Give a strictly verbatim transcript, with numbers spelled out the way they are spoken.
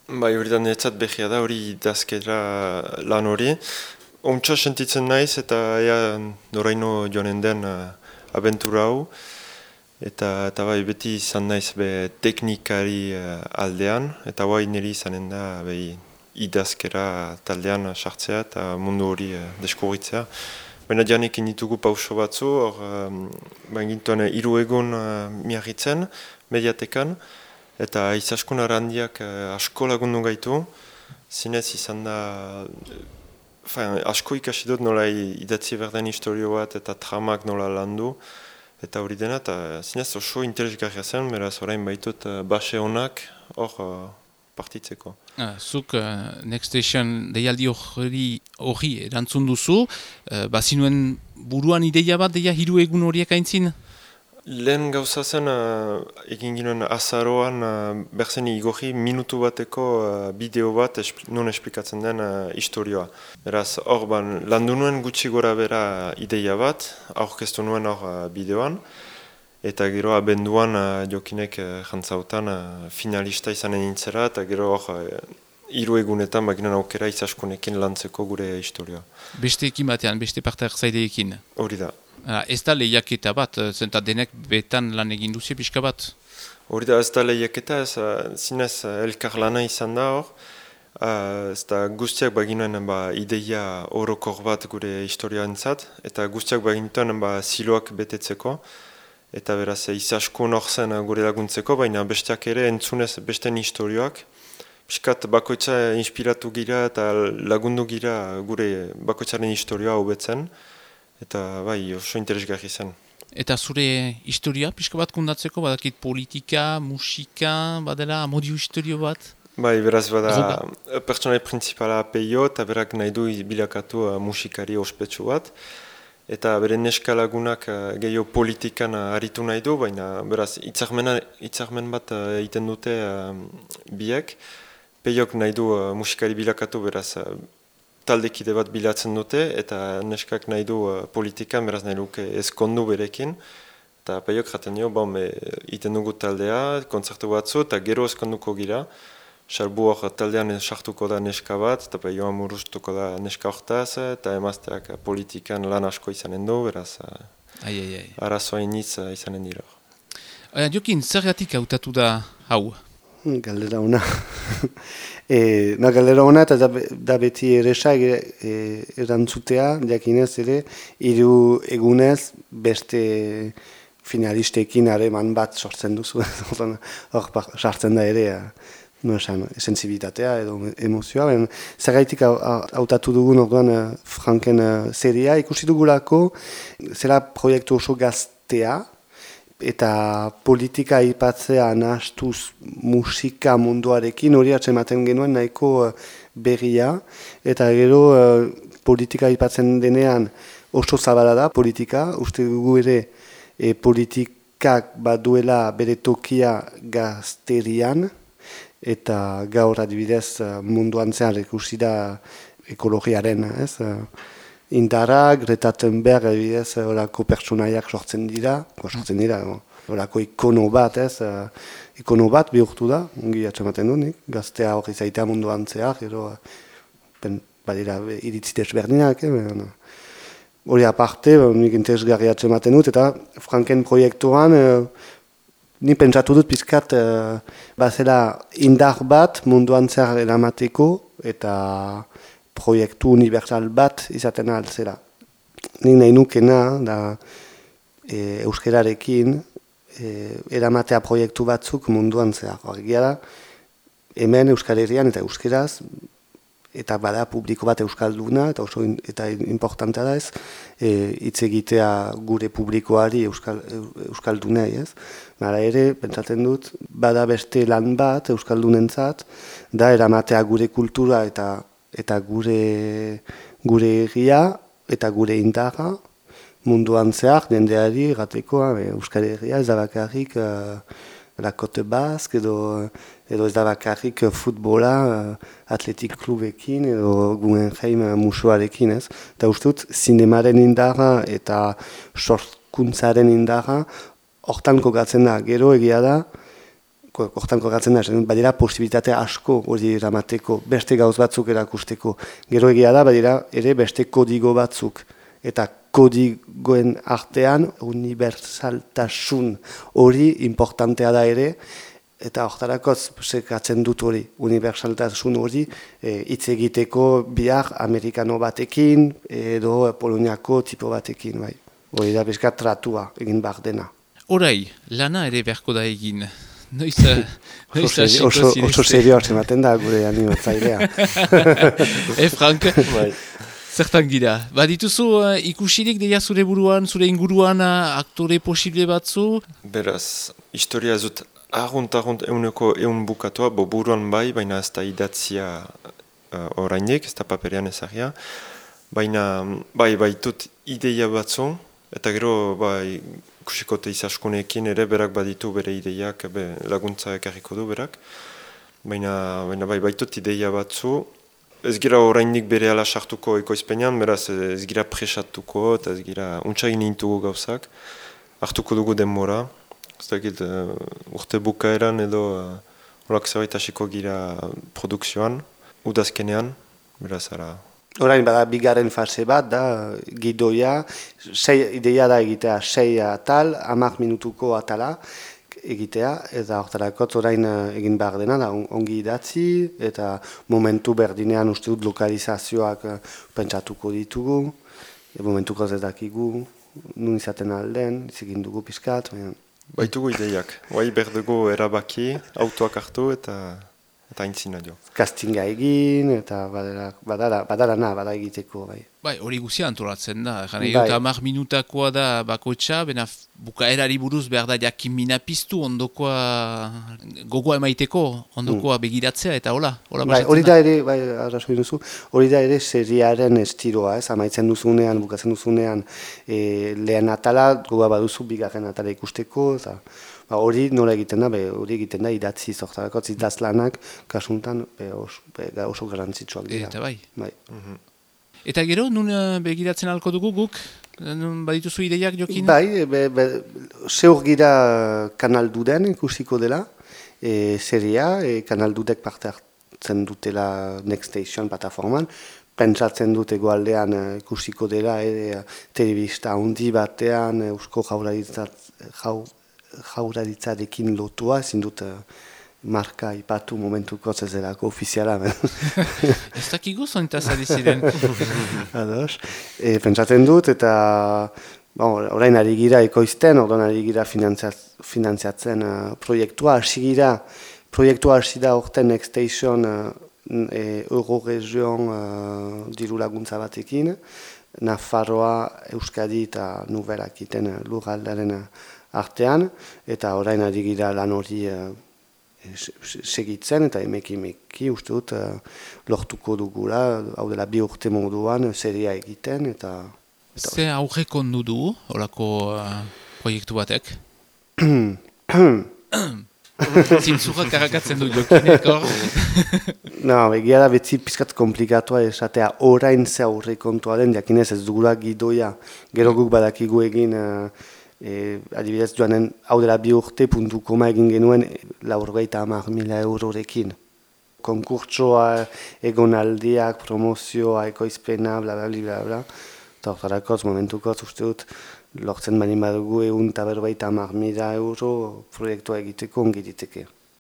Bai, hori da niretzat behia da, hori idazkera lan hori. Ontsa sentitzen naiz eta ea noraino joanen den uh, abentura hau. Eta, eta bai, beti izan naiz be teknikari uh, aldean, eta bai niri izanen da be, idazkera taldean sartzea eta mundu hori uh, deskubritzea. Baina janekin ditugu pauso batzu, hor um, baingintuan hiru egun uh, miarritzen, mediatekan, eta izaskun arandiak uh, asko lagundu gaitu, zinez izan da, uh, asko ikasi dut nola idatzi berden historio bat eta tramak nola landu, eta hori dena, eta zinez oso interesgarria zen, beraz orain baitut uh, base honak hor uh, partitzeko. Uh, zuk uh, Next Station deialdi hori hori erantzun duzu, uh, bazinuen buruan ideia bat deia hiru egun horiek aintzin? Lehen gauza zen, uh, egin ginen azaroan uh, berzen igorri minutu bateko uh, bideo bat espl non esplikatzen den uh, historioa. Beraz, hor ban, landu nuen gutxi gora bera ideia bat, aurkeztu nuen hor uh, bideoan, eta gero abenduan uh, jokinek uh, jantzautan uh, finalista izanen nintzera, eta gero hor uh, hiru egunetan baginen aukera izaskunekin lantzeko gure historioa. Beste ekin batean, beste parte hartzaileekin? Hori da. Uh, ez da lehiaketa bat, zenta denek betan lan egin duzi pixka bat? Hori da, ez da lehiaketa, ez uh, zinez uh, elkar lana izan da hor. Uh, ez da guztiak baginen ba, ideia orokor bat gure historioantzat, eta guztiak baginen ba, ziloak betetzeko. Eta beraz, izaskun hor zen gure laguntzeko, baina besteak ere entzunez besten historioak. Piskat bakoitza inspiratu gira eta lagundu gira gure bakoitzaren historioa hobetzen. Eta bai, oso interesgarri zen. Eta zure historia pixka bat kundatzeko, badakit politika, musika, badela amodio historio bat? Bai, beraz bada pertsonai principala Peio eta berak nahi du bilakatu uh, musikari ospetsu bat. Eta bere neska lagunak uh, gehiago politikan uh, aritu nahi du, baina beraz hitzarmen bat uh, egiten dute uh, biek. Peiok nahi du uh, musikari bilakatu, beraz uh, taldekide bat bilatzen dute, eta neskak nahi du uh, politikan, beraz nahi duke ezkondu berekin. Eta Peiok jaten dio, bon, iten dugu taldea, kontzertu batzu, eta gero ezkonduko gira. Salbu hor taldean sartuko da neska bat, eta Peioa murustuko da neska hortaz, eta emazteak politikan lan asko izanen du, beraz ai, ai, ai. arazoa iniz uh, izanen dira. Uh, Jokin, zergatik hautatu da hau? Galdera ona. e, na, galdera ona eta da, da beti eresa e, erantzutea, jakinez ere, hiru egunez beste finalistekin hareman bat sortzen duzu. Hor sartzen da ere, no esan, sensibilitatea edo emozioa. Ben, zergaitik hautatu dugun orduan Franken seria, ikusi dugulako, zera proiektu oso gaztea, eta politika aipatzea nahastuz musika munduarekin hori atzematen genuen nahiko berria, eta gero politika aipatzen denean oso zabala da politika, uste dugu ere e, politikak baduela bere tokia gazterian, eta gaur adibidez munduan zehar ikusi da ekologiaren, ez? Indarra, Greta Thunberg, adibidez, horako pertsonaiak sortzen dira, sortzen dira, horako ikono bat, ez, ikono bat bihurtu da, ongi atxamaten du, nik, gaztea hori zaitea munduan zehar, gero, ben, badira, iritzi desberdinak, eh, hori aparte, nik interesgarri atxamaten dut, eta Franken proiektuan, eh, ni pentsatu dut pizkat, eh, bazela indar bat munduan zehar eramateko, eta proiektu universal bat izaten altzera. Nik nahi nukena, da e, euskerarekin e, eramatea proiektu batzuk munduan zehar. Egia da, hemen Euskal Herrian eta euskeraz, eta bada publiko bat euskalduna, eta oso in, eta importantea da ez, hitz e, egitea gure publikoari euskal, euskaldunei, ez? Mara ere, pentsatzen dut, bada beste lan bat euskaldunentzat, da eramatea gure kultura eta eta gure gure egia eta gure indarra munduan zehar, jendeari gateko, Euskal Herria ez da bakarrik uh, la Côte Basque edo, edo ez da bakarrik futbola uh, atletik klubekin edo Guggenheim musuarekin, ez? Eta uste dut, zinemaren indarra eta sorkuntzaren indarra hortan kokatzen da, gero egia da, hortan kokatzen da, badira posibilitate asko hori eramateko, beste gauz batzuk erakusteko. Gero egia da, badira ere beste kodigo batzuk. Eta kodigoen artean unibersaltasun hori importantea da ere, eta hortarakoz sekatzen dut hori, unibersaltasun hori hitz egiteko bihar amerikano batekin edo poloniako tipo batekin, bai. Hori da bezka tratua egin behar dena. Orai, lana ere beharko da egin. Noiz, noiz oso, oso, oso serioa ematen da gure animatzailea. E, Frank? Bai. Zertan gira? Badituzu uh, ikusirik deia zure buruan, zure inguruan uh, aktore posible batzu? Beraz, historia ez dut argunt-argunt euneko eun bukatua, bo buruan bai, baina ez da idatzia uh, orainek, ez da paperean ezagia. Baina, bai, baitut ideia batzu, eta gero, bai, kusikote izaskunekin ere, berak baditu bere ideiak, be, laguntza ekarriko du berak. Baina, baina bai, baitut ideia batzu, ez gira orainik bere ala sartuko ekoizpenean, beraz ez gira presatuko, eta ez gira untxagin intugu gauzak. Hartuko dugu denbora, ez dakit uh, urte bukaeran edo uh, olak zerbait hasiko gira produkzioan, udazkenean, beraz ara. Orain bada bigarren fase bat da, gidoia, sei ideia da egitea, sei atal, hamak minutuko atala, egitea, eta hortarako orain egin behar dena, da ongi idatzi, eta momentu berdinean uste dut lokalizazioak pentsatuko ditugu, e momentuko ez dakigu, nun izaten alden, izegin dugu pizkat. Baitugu ideiak, bai berdugu erabaki, autoak hartu eta eta aintzina jo. Castinga egin, eta badara, badara, badara na, bada egiteko, bai. Bai, hori guzia antolatzen da. Jane, bai. Hamar minutakoa da bakoitza, bena bukaerari buruz behar da jakin mina piztu, ondokoa gogoa emaiteko, ondokoa mm. begiratzea, eta hola, hola bai, hori da ere, bai, arrazoi duzu, hori da ere seriaren estiloa, ez, amaitzen duzunean, bukatzen duzunean, e, lehen atala, gogoa baduzu, bigarren atala ikusteko, eta ba, hori nola egiten da, be, hori egiten da idatzi zortarako, idazlanak, kasuntan, be, os, be, oso garantzitsuak dira. Eta bai. bai. Mm-hmm. Eta gero, nun begiratzen alko dugu guk? Nun badituzu ideiak jokin? Bai, be, be, zeur gira Kanal Duden ikusiko dela, e, seria, e, Kanal Dudek parte hartzen dutela Next Station plataforman, pentsatzen dut egoaldean ikusiko dela, e, telebista handi batean, eusko jaurlaritzat, jau, jaurlaritzarekin lotua, ezin dut marka ipatu momentuko zezerako ofiziala. Ez dakigu zontaz ari ziren. Ados. E, pentsatzen dut eta bon, orain ari gira ekoizten, orain ari gira finantziatzen uh, proiektua, hasi gira, proiektua hasi da orten Next Station uh, e, Euroregion uh, diru laguntza batekin, Nafarroa, Euskadi eta Nubelak iten uh, lurraldaren artean, eta orain ari gira lan hori uh, segitzen, eta emeki-emeki uste dut uh, lortuko dugula, hau dela bi urte moduan, seria egiten, eta... eta ze aurreko ondu du, horako uh, proiektu batek? Zintzurra karakatzen du jokinek, hor? No, egia da betzi pizkat komplikatua esatea orain ze aurrekontua den, jakinez ez dugula gidoia, gero guk badakigu egin... Uh, E, adibidez joanen hau dela bi urte puntu koma egin genuen laurgeita hamar mila eurorekin. Konkurtsoa, egonaldiak, promozioa, ekoizpena, bla bla bla bla. Eta hortarakoz, momentukoz uste dut lortzen bani badugu egun eta berbeita hamar mila euro proiektua egiteko ongi diteke.